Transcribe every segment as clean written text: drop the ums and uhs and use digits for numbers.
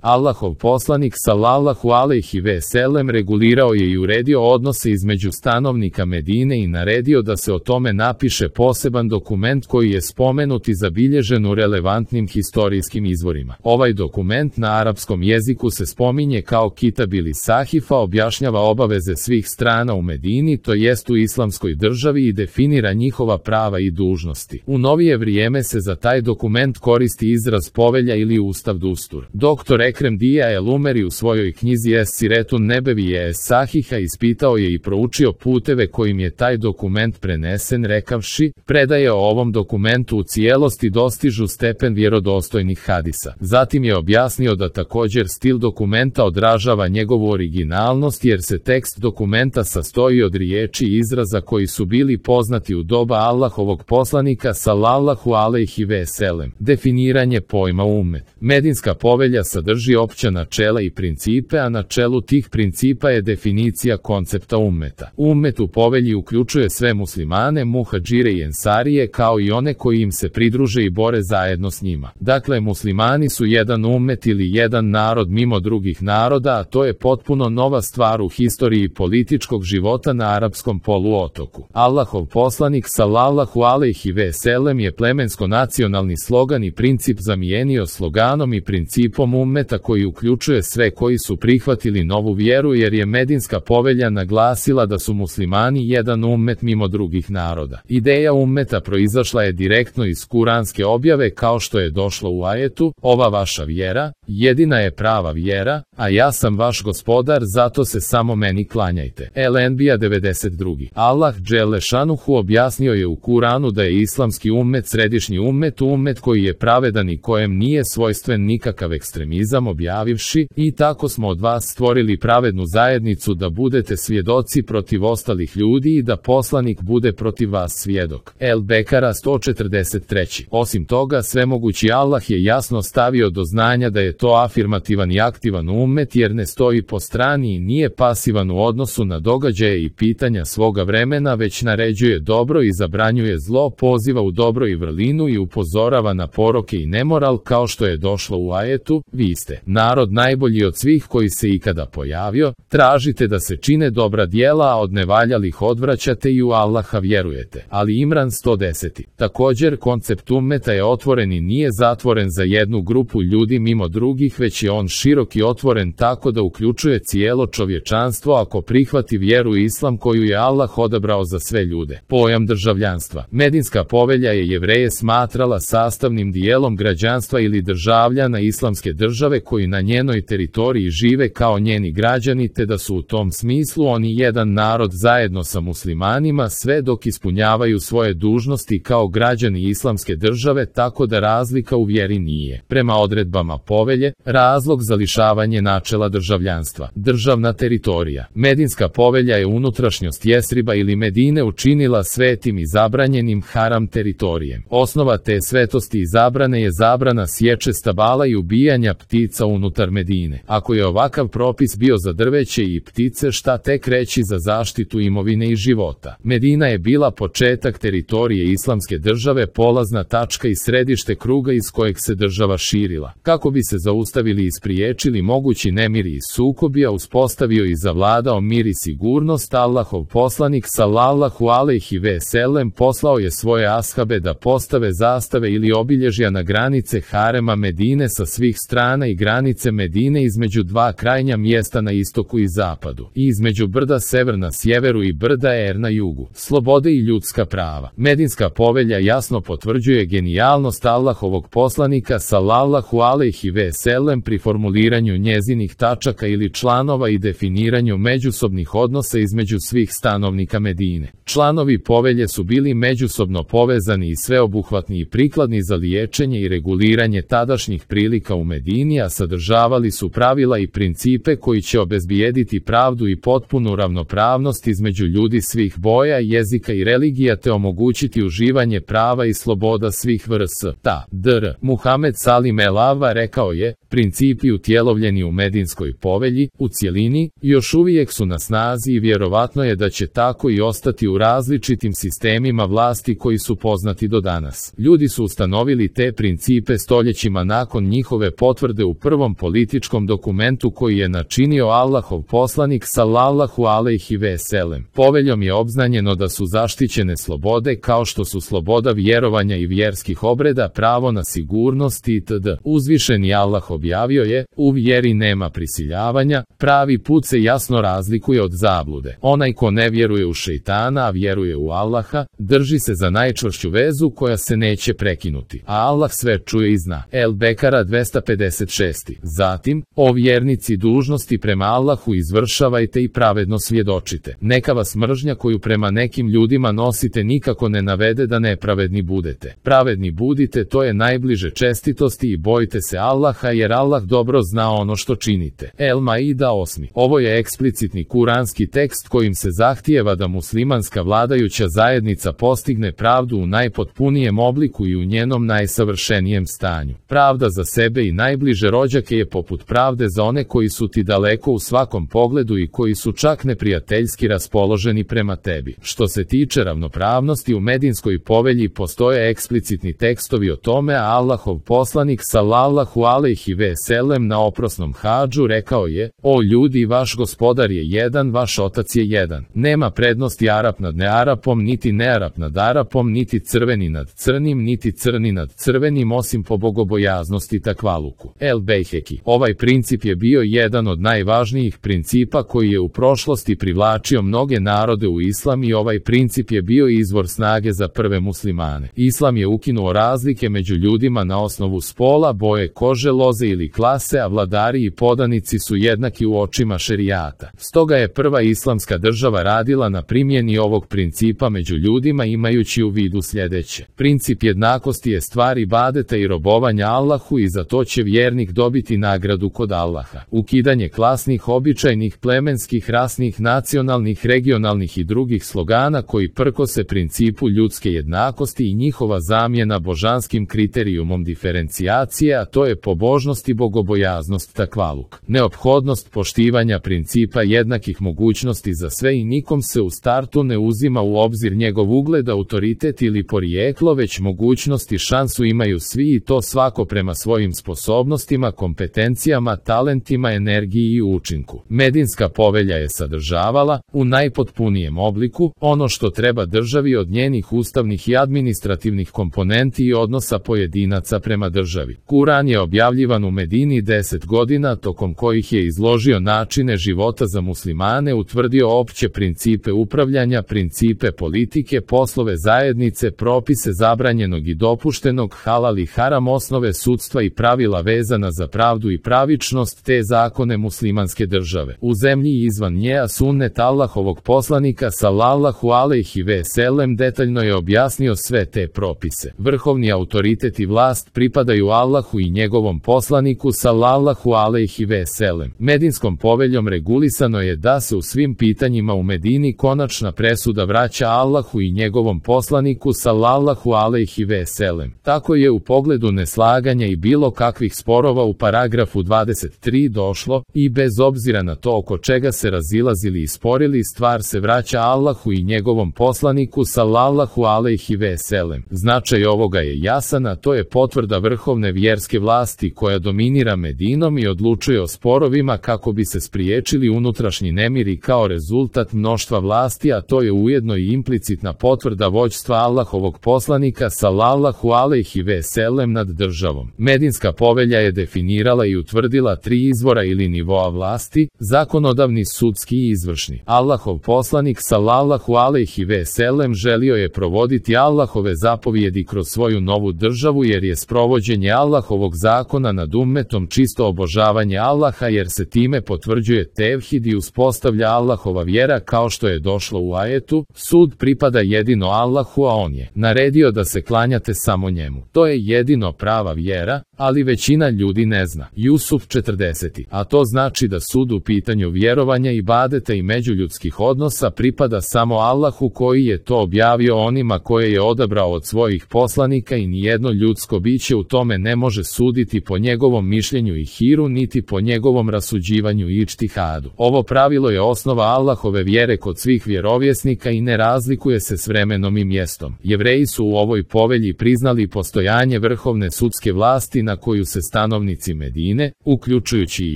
Allahov poslanik sallallahu alejhi ve sellem regulirao je i uredio odnose između stanovnika Medine i naredio da se o tome napiše poseban dokument koji je spomenut i zabilježen u relevantnim historijskim izvorima. Ovaj dokument na arapskom jeziku se spominje kao Kitab ili Sahifa, objašnjava obaveze svih strana u Medini, to jest u islamskoj državi, i definira njihova prava i dužnosti. U novije vrijeme se za taj dokument koristi izraz povelja ili ustav dustur. Dr. Ekrem Dija el-Umeri u svojoj knjizi Es-Siretun Nebevije Es-Sahiha ispitao je i proučio puteve kojim je taj dokument prenesen, rekavši: predaje o ovom dokumentu u cijelosti dostižu stepen vjerodostojnih hadisa. Zatim je objasnio da također stil dokumenta odražava njegovu originalnost, jer se tekst dokumenta sastoji od riječi i izraza koji su bili poznati u doba Allahovog poslanika sallallahu alejhi ve sellem. Definiranje pojma ummet. Medinska povelja sadrži opća načela i principe, a na čelu tih principa je definicija koncepta ummeta. Ummet u povelji uključuje sve muslimane, muhadžire i ensarije, kao i one koji im se pridruže i bore zajedno s njima. Dakle, muslimani su jedan ummet ili jedan narod mimo drugih naroda, a to je potpuno nova stvar u historiji političkog života na arapskom poluotoku. Allahov poslanik sallallahu alejhi ve sellem je plemensko-nacionalni slogan i princip zamijenio sloganom i principom ummeta, koji uključuje sve koji su prihvatili novu vjeru, jer je Medinska povelja naglasila da su muslimani jedan ummet mimo drugih naroda. Ideja ummeta proizašla je direktno iz kuranske objave, kao što je došlo u ajetu: ova vaša vjera, jedina je prava vjera, a ja sam vaš gospodar, zato se samo meni klanjajte. El-Enbija 92. Allah dželle šanuhu objasnio je u Kuranu da je islamski ummet središnji ummet koji je pravedan i kojem nije svojstven nikakav ekstremizam, objavivši: i tako smo od vas stvorili pravednu zajednicu da budete svjedoci protiv ostalih ljudi i da poslanik bude protiv vas svjedok. El-Bekara 143. Osim toga, svemogući Allah je jasno stavio do znanja da je to afirmativan i aktivan ummet, jer ne stoji po strani i nije pasivan u odnosu na događaje i pitanja svoga vremena, već naređuje dobro i zabranjuje zlo, poziva u dobro i vrlinu i upozorava na poroke i nemoral, kao što je došlo u ajetu: vi ste narod najbolji od svih koji se ikada pojavio, tražite da se čine dobra djela, a od nevaljalih odvraćate i u Allaha vjerujete. Ali Imran 110. Također, koncept ummeta je otvoren i nije zatvoren za jednu grupu ljudi mimo drugih, već je on širok i otvoren tako da uključuje cijelo čovječanstvo ako prihvati vjeru islam koju je Allah odabrao za sve ljude. Pojam državljanstva. Medinska povelja je Jevreje smatrala sastavnim dijelom građanstva ili državljana islamske države koji na njenoj teritoriji žive kao njeni građani, te da su u tom smislu oni jedan narod zajedno sa muslimanima, sve dok ispunjavaju svoje dužnosti kao građani islamske države, tako da razlika u vjeri nije, prema odredbama povelje, razlog za lišavanje načela državljanstva. Državna teritorija. Medinska povelja je unutrašnjost Jesriba ili Medine učinila svetim i zabranjenim haram teritorijem. Osnova te svetosti i zabrane je zabrana sječe stabala i ubijanja ptica unutar Medine. Ako je ovakav propis bio za drveće i ptice, šta tek reći za zaštitu imovine i života. Medina je bila početak teritorije islamske države, polazna tačka i središte kruga iz kojeg se država širila. Kako bi se zaustavili i spriječili mogući nemiri i sukobi, a uspostavio i zavladao mir i sigurnost, Allahov poslanik sallallahu alejhi ve sellem poslao je svoje ashabe da postave zastave ili obilježja na granice harema Medine sa svih strana i granice Medine između dva krajnja mjesta na istoku i zapadu, i između brda Sever na sjeveru i brda Er na jugu. Slobode i ljudska prava. Medinska povelja jasno potvrđuje genijalnost Allahovog poslanika sallallahu alejhi ve sellem pri formuliranju njezinih tačaka ili članova i definiranju međusobnih odnosa između svih stanovnika Medine. Članovi povelje su bili međusobno povezani i sveobuhvatni i prikladni za liječenje i reguliranje tadašnjih prilika u Medini, a sadržavali su pravila i principe koji će obezbijediti pravdu i potpunu ravnopravnost između ljudi svih boja, jezika i religija, te omogućiti uživanje prava i sloboda svih vrsta. Dr. Muhammed Salim el-Ava rekao je: principi utjelovljeni u Medinskoj povelji, u cjelini, još uvijek su na snazi i vjerovatno je da će tako i ostati u različitim sistemima vlasti koji su poznati do danas. Ljudi su ustanovili te principe stoljećima nakon njihove potvrde u prvom političkom dokumentu koji je načinio Allahov poslanik sallallahu alejhi ve sellem. Poveljom je obznanjeno da su zaštićene slobode kao što su sloboda vjerovanja i vjerskih obreda, pravo na sigurnost itd. Uzvišeni Allah objavio je: u vjeri nema prisiljavanja, pravi put se jasno razlikuje od zablude. Onaj ko ne vjeruje u šejtana, a vjeruje u Allaha, drži se za najčvršću vezu koja se neće prekinuti. A Allah sve čuje i zna. El Bekara 256. Zatim, o vjernici, dužnosti prema Allahu izvršavajte i pravedno svjedočite. Neka vas mržnja koju prema nekim ljudima nosite nikako ne navede da nepravedni budete. Pravedni budite, to je najbliže čestitosti, i bojte se Allaha jer Allah dobro zna ono što činite. El Maida 8. Ovo je eksplicitni kuranski tekst kojim se zahtijeva da muslimanska vladajuća zajednica postigne pravdu u najpotpunijem obliku i u njenom najsavršenijem stanju. Pravda za sebe i najbliže rođake je poput pravde za one koji su ti daleko u svakom pogledu i koji su čak neprijateljski raspoloženi prema tebi. Što se tiče ravnopravnosti, u Medinskoj povelji postoje eksplicitni tekstovi o tome, a Allahov poslanik sallallahu alejhi ve sellem na oprosnom hadžu rekao je: o ljudi, vaš gospodar je jedan, vaš otac je jedan. Nema prednosti Arap nad nearapom, niti nearap nad Arapom, niti crveni nad crnim, niti crni nad crvenim, osim po bogobojaznosti takvaluku. El Bejheki. Ovaj princip je bio jedan od najvažnijih principa koji je u prošlosti privlačio mnoge narode u islam, i ovaj princip je bio izvor snage za prve muslimane. Islam je ukinuo razlike među ljudima na osnovu spola, boje kože, loze ili klase, a vladari i podanici su jednaki u očima šerijata. Stoga je prva islamska država radila na primjeni ovog principa među ljudima, imajući u vidu sljedeće. Princip jednakosti je stvar ibadeta i robovanja Allahu, i za to će vjernik dobiti nagradu kod Allaha. Ukidanje klasnih, običajnih, plemenskih, rasnih, nacionalnih, regionalnih i drugih slogana koji prkose principu ljudske jednakosti i njihova zamjena božanskim kriterijumom diferencijacije, a to je pobožnost i bogobojaznost takvaluk. Neophodnost poštivanja principa jednakih mogućnosti za sve, i nikom se u startu ne uzima u obzir njegov ugled, autoritet ili porijeklo, već mogućnost i šansu imaju svi, i to svako prema svojim sposobnostima, kompetencijama, talentima, energiji i učinku. Medinska povelja je sadržavala, u najpotpunijem obliku, ono što treba državi od njenih ustavnih i administrativnih komponenti i odnosa pojedinaca prema državi. Kuran je objavljivan u Medini 10 godina, tokom kojih je izložio načine života za muslimane, utvrdio opće principe upravljanja, principe politike, poslove zajednice, propise zabranjenog i dopuštenog, halal i haram, osnove sudstva i pravila vezana za pravdu i pravičnost, te zakone muslimanske države. U zemlji i izvan nje, a sunnet Allahovog poslanika sallallahu alejhi ve sellem detaljno je objasnio sve te propise. Vrhovni autoritet i vlast pripadaju Allahu i njegovom poslaniku sallallahu alejhi ve sellem. Medinskom poveljom regulisano je da se u svim pitanjima u Medini konačna presuda vraća Allahu i njegovom poslaniku sallallahu alejhi ve sellem. Tako je u pogledu neslaganja i bilo kakvih sporova u paragrafu 23 došlo, i bez obzira na to oko čega se razilazili i sporili, stvar se vraća Allahu i njegovom poslaniku sallallahu alejhi ve sellem. Značaj ovoga je jasan, a to je potvrda vrhovne vjerske vlasti koja dominira Medinom i odlučuje o sporovima kako bi se spriječili unutrašnji nemiri kao rezultat mnoštva vlasti, a to je ujedno i implicitna potvrda vođstva Allahovog poslanika sallallahu alejhi ve sellem nad državom. Medinska povelja je definirala i utvrdila 3 izvora ili nivoa vlasti: zakonodavni, sudski i izvršni. Allahov poslanik sallallahu alejhi ve sellem želio je provoditi Allahove zapovjedi kroz svoju novu državu, jer je sprovođenje Allahovog zakona nad ummetom čisto obožavanje Allaha, jer se time potvrđuje tevhid i uspostavlja Allahova vjera, kao što je došlo u ajetu: sud pripada jedino Allahu, a on je naredio da se klanjate samo njemu. To je jedino prava vjera, ali većina ljudi ne zna. Jusuf 40. A to znači da sud u pitanju vjerovanja, ibadeta i međuljudskih odnosa pripada samo Allahu, koji je to objavio onima koje je odabrao od svojih poslanika, i nijedno ljudsko biće u tome ne može suditi po njegovom mišljenju i hiru, niti po njegovom rasuđivanju i ičtihadu. Ovo pravilo je osnova Allahove vjere kod svih vjerovjesnika i ne razlikuje se s vremenom i mjestom. Jevreji su u ovoj povelji priznali postojanje vrhovne sudske vlasti na koju se stanovnici stanovnici Medine, uključujući i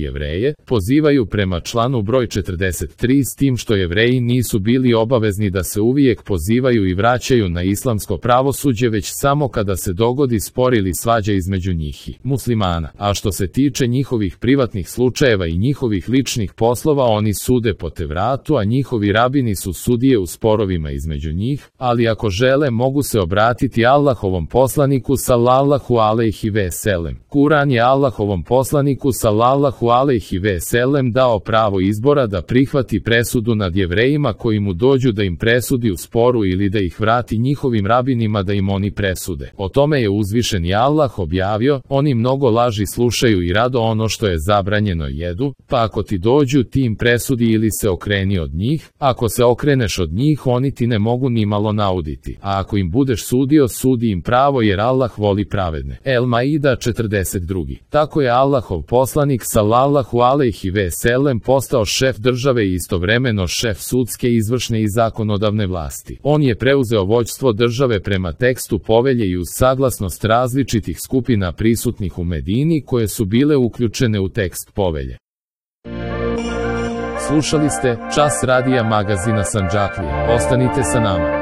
Jevreje, pozivaju prema članu broj 43 s tim što Jevreji nisu bili obavezni da se uvijek pozivaju i vraćaju na islamsko pravosuđe već samo kada se dogodi spor ili svađa između njih i muslimana, a što se tiče njihovih privatnih slučajeva i njihovih ličnih poslova oni sude po Tevratu, a njihovi rabini su sudije u sporovima između njih, ali ako žele mogu se obratiti Allahovom poslaniku sallallahu alejhi ve sellem. Kuran je Allahovom poslaniku sallallahu alejhi ve sellem dao pravo izbora da prihvati presudu nad Jevrejima koji mu dođu da im presudi u sporu ili da ih vrati njihovim rabinima da im oni presude. O tome je uzvišeni Allah objavio, oni mnogo laži slušaju i rado ono što je zabranjeno jedu, pa ako ti dođu ti im presudi ili se okreni od njih, ako se okreneš od njih oni ti ne mogu ni malo nauditi, a ako im budeš sudio sudi im pravo jer Allah voli pravedne. El-Maida 42. Tako je Allahov poslanik sallallahu alejhi ve sellem postao šef države i istovremeno šef sudske, izvršne i zakonodavne vlasti. On je preuzeo vođstvo države prema tekstu povelje i uz saglasnost različitih skupina prisutnih u Medini koje su bile uključene u tekst povelje. Slušali ste Čas radija magazina Sandžaklija. Ostanite sa nama.